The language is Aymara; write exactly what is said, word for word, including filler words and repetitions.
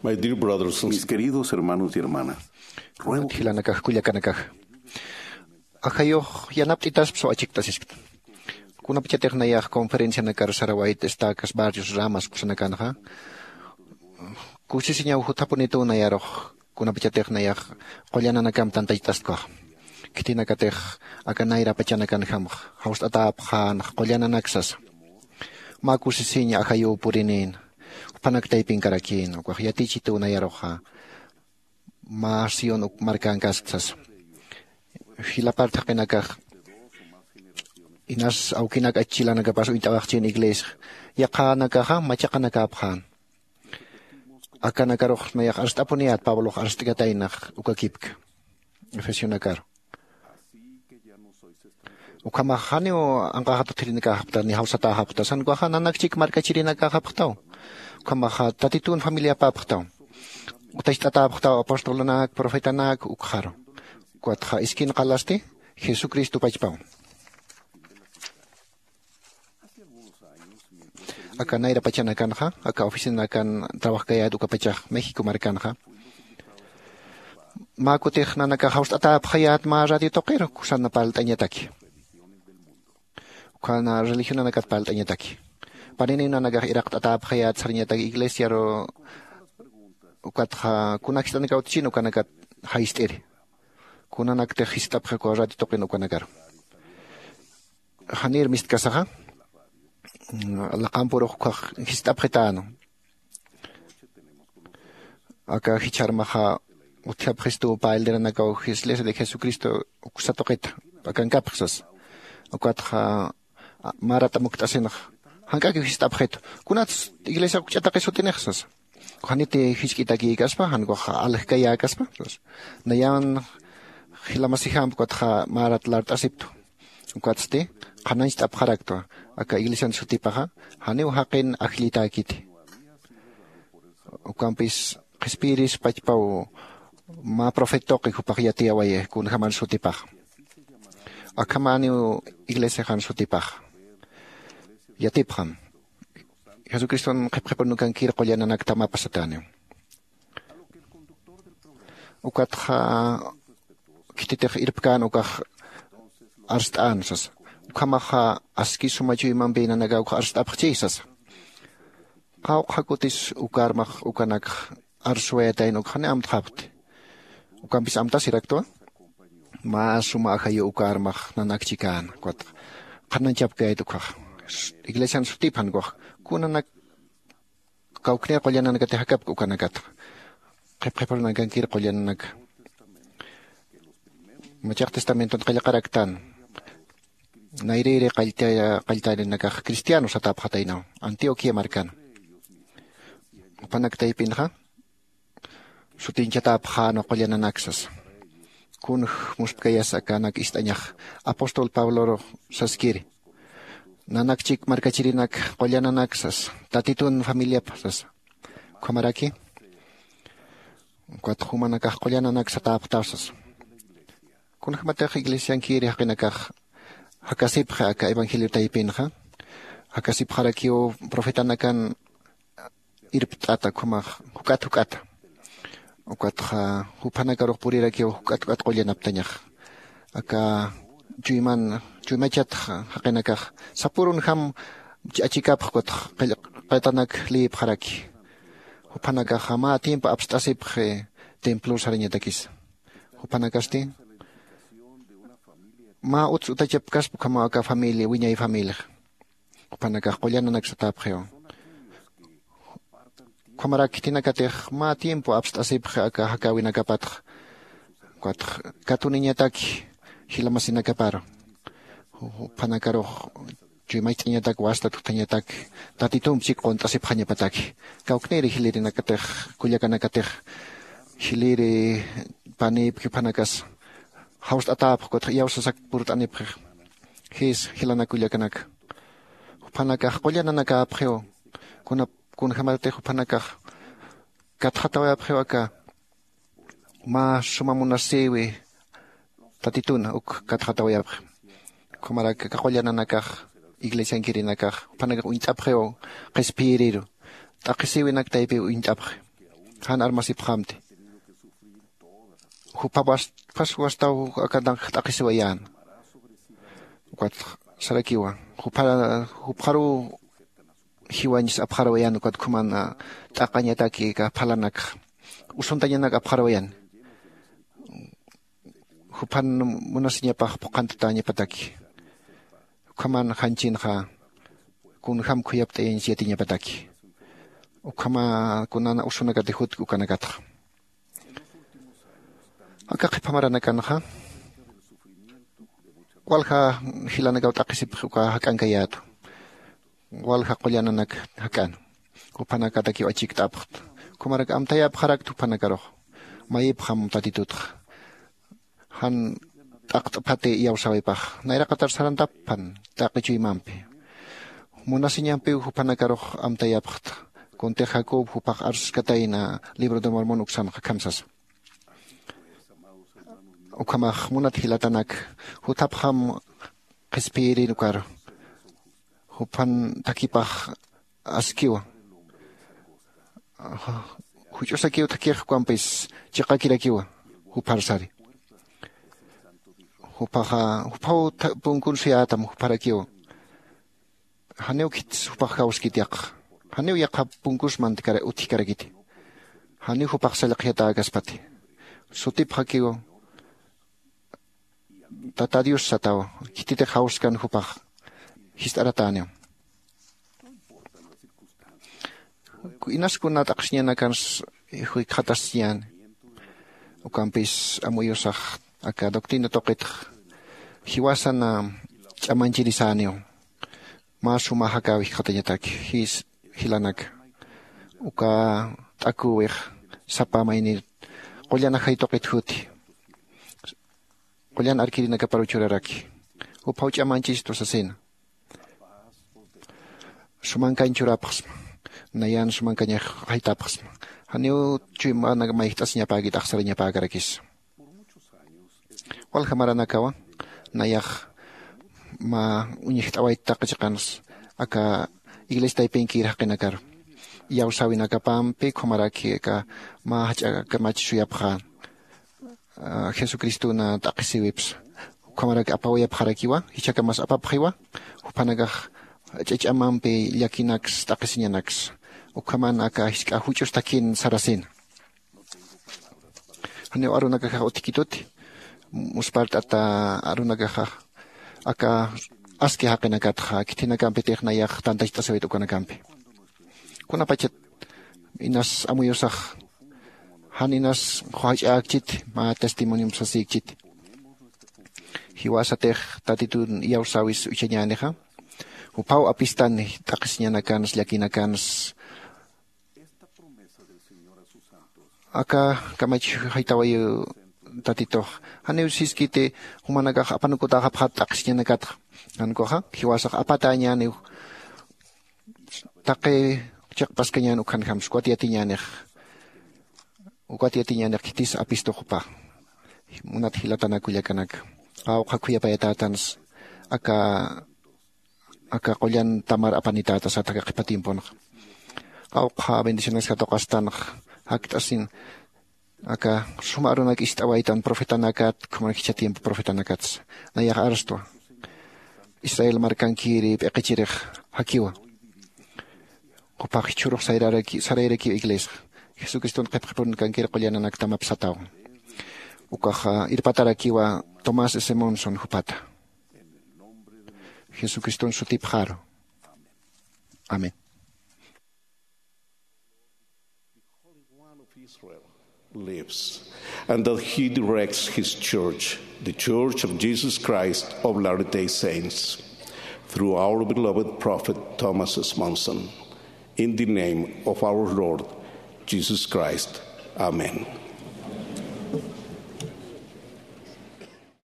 My dear brothers and Mis queridos hermanos y hermanas, ruego jilanakax kullakanakax, ajayux yanapt'itaspa suwa achikt'asiskta. Kunapachatix nayax conferencianakar sarawayta estacas, barrios, ramas kusanakanxa, kusisiñaw juthapunituw nayarux. Kunapachatix nayax qullananakam tantachtastkwax, khitinakatix aka nayra pachanakanjamx jawst'atäpxänx qullananaksasa. Mä kusisiñ ajayuw purinïn, juphanak taypinkarakïn ukax yatichituw nayaruxa. Mä sión uk markankask sasa. Jilapart jaqinakax inas awkinak achchilanakapas uñt'awaxchin iglesia, yaqhanakaxa machaqanakäpxän. Akanakarux nayax arst'apuniyät pablox arst'kataynax ukakipk efesionakar. Ukhamax janiw anqaxat utjirinakäxapxta ni jawsatäxapxta sankuxa nanakchik markachirinakäxapxtaw. Ukhamaxa tatitun familiapäpxtaw. Utacht'atäpxtaw apostolunak profetanak ukxaru. Ukatxa iskin qalasti jesucristo pachpaw. Aka nayra pachanakanxa aka oficinakan trabajkayät ukapachax méxico markanxa, mä kutix nanakax jawst'atäpxayät mä radio tuqiru kusana parlt'añataki. Ukhana religionanakat parlt'añataki. Paniniw nanakax iraqt'atäpxayät sarañataki iglesiaru. Ukatxa kunak jist'anakaw utjchin ukanakat jayist'iri. Kunanaktix jist'apxi uka radio tuqin ukanakaru. Janir mistkasaxa laqampurux ukhax jist'apxitäna. Aka jichharmaxa utjapxistuw pä elderanakaw iglesia de jesucristo uksa tuqita akankapxi sasa. Ukatxa marat amukt'asinxa jank'akiw jist'apxitu. Kunats iglesia ukch'ataqis jutinix sasa. Janiti jisk'itakïkaspa jankuxa aljkayäkaspa sasa. Nayan jilamasijamp ukatxa marat lart'asiptu. Ukatsti qhanañcht'apxaraktwa aka iglesian sutipaxa janiw jaqin ajllitäkiti. Ukampis qhispiyiris pachpaw mä profet tuqi jupax yatiyawayix kunjaman sutipaxa. Akhamäniw iglesiaxan sutipaxa yatipxam. Jesucriston qhipqhipunukankir qullananakta mä pasatäniw. Ukatxa khititix irpkän ukax arst'än sasa. Ukhamaxa aski suma chuymampi nanakaw ukxa arst'apxchi sasa. Qawqha kutis ukarmax ukanakx arswayatayn ukxani amtxapxti. Ukampis amtasiraktwa mä suma ajayu ukarmax nanakchikäna ukatxa qhananchapkayat ukxax iglesian sutipxan ukxax kunanak kawknir qullananakatix jakapki ukanakatxa qhipqhipurunakankir qullananaka. Machaq testamenton qillqaraktan nayrïri qalltarinakax cristiano satäpxataynaw antioquia markana. Jupanak taypinxa sutinchatäpxänwa qullananaksas. Kunj musphkayas akanak ist'añax apóstol pabloru saskiri nanakchik markachirinak qullananaksas tatitun familiapxsasa. Ukhamaraki ukat jumanakax qullananaksatäpxtäsasa. Kunjämatix iglesiankiri jaqinakax jakasipxi aka evangelio taypinxa jakasipxarakiw profetanakan irpt'ata ukhamax juk'at juk'ata. Ukatxa juphanakarux purirakiw juk'at juk'at qullanaptañax. Aka chuyman chuymachatx jaqinakax sapürunjam achikapx ukatx qillqatanak liyipxaraki. Juphanakaxa mä tiempo apst'asipxi templor sarañatakisa. Juphanakasti mä uts utachapkaspa ukhamaw aka familia wiñay familiax. Juphanakax qullananaksatäpxiw. Ukhamarak khitinakatix mä tiempo apst'asipxi aka jakäwinakapatx ukatx katuniñataki jilamasinakaparu. Juphanakarux chuymacht'añatak wastat juthañatak tatitump chik qunt'asipxañapataki. Kawkniri jilirinakatix kullakanakatix jiliri panïpki juphanakas jawst'atäpxi ukatx iyawsasak purt'anipxix. Jis jilanak kullakanaka juphanakax qullananakäpxiw. Kunjämatix juphanakax katxatawayapxiw aka mä suma munasïwi tatitun uk katxatawayapxi. Ukhamarak aka qullananakax iglesiankirinakax juphanakax uñt'apxiw qhispiyiriru t'aqhisïwinak taypiw uñt'apxi. jan armasipxamti. Juphapas wastaw akanakax t'aqhisiwayän. Ukat sarakiwa, jupharuw jiwañs apxarawayän ukat ukhaman t'aqañataki aka phalanakxa usuntañanak apxarawayän. Juphan munasiñapax phuqhantatañapataki. Ukhaman janchinxa kunjam khuyapt'ayañsi yatiñapataki. Ukhama kunana usunakati jutki ukanakatxa. Aka qhipa maranakanxa walja jilanakaw t'aqhisipxi uka jak'ankayätu. Walja qullananak jak'an juphanakatakiw achikt'apxta. Ukhamarak amtayapxarakta juphanakarux mayipxam tatitutxa jan t'aqt'phati iyawsäwipax nayraqatar sarantapxpan t'aqi chuymampi. Munasiñampiw jupanakarux amtayapxta kuntix jacob jupax arskatayna libro de mormon uksanxa akham sasa. Ukhamax munat jilatanak, juthapxam qhispiyiri ukaru juphan thakhipax askiwa. Juch'usakiw thakhix ukampis chiqakirakiwa juphar sari. Juphaxa juphaw punkun suyätam jupharakiwa. Janiw khitsa jupax jawskiti yaqha. Janiw yaqha punkus mantkara utjkarakiti. Janiw jupax sallqjatäkaspati. Sutipxakiw tata dios sataw. Khititix jawskan jupax jist'aratäniw. Inas kuna t'aqhisiñanakans jikxatasiñäni. Ukampis amuyusax aka doctrina tuqitx jiwasan ch'amanchirisäniw. Mä sumax aka wijkxatañataki jis jilanaka uka t'aküwix sapa maynir qullan ajay tuqit juti qullan arkirinakaparuw churaraki. Juphaw ch'amanchistu sasina. Sumankañ churapxsma. Nayan sumankañax jaytapxsma. Janiw chuymanak mayjt'asiñapäkit axsarañapäkarakisa. Walja maranakawa nayax mä uñjt'awayt taqi chiqans aka iglesia taypinkir jaqinakaru iyawsäwinakapampi ukhamaraki aka mä jach'a kamach suyapxän jesucristona t'aqhisiwipsa. Ukhamarak apawayapxarakiwa jichhakamas apapxiwa juphanakax jach'a ch'amampi llakinaks t'aqhisiñanaks. Ukhaman aka jisk'a juch'us thakin sarasina. Janiw arunakaxax utjkituti muspart'ata arunakaxax aka aski jaqinakatxa khithinakampitix nayax tantacht'asiwayt ukanakampi. Kunapachat inas amuyusax jan inas qhuwach'äkchiti mä testimoniomp sasïkchiti. Jiwasatix tatitun iyawsäwis uchañänixa juphaw apistani t'aqhisiñanakans llakinakans. Aka kamach jaytawayiw tatitux janiw siskiti jumanakax apanukutäxapxat t'aqhisiñanakatxa. Jankuxa jiwasax apatäñäniw taqi chiqpaskañän ukhanjamsa ukat yatiñänix. Ukat yatiñänix khitis apistu jupa. Munat jilatanak kullakanaka qawqha khuyapayatätansa aka aka qullan tamar apanitäta sata aka qhipa tiemponxa. Qawqha bendiciones katuqastanxa jakt'asin aka suma arunak ist'awaytan profetanakat ukhaman jichha tiempo profetanakatsa. Nayax arstwa israel markankiri p'iqichirix jakiwa. Quphax jichhürux sarayrakiw iglesia jesucriston qhipqhipurunkankir qullananaktamap sataw. Ukaxa irpatarakiwa tomás s monson jupata jesucriston sutipxaru. Amén. Lives, and that he directs his church, the Church of Jesus Christ of Latter-day Saints, through our beloved prophet Thomas S. Monson, in the name of our Lord Jesus Christ. Amen.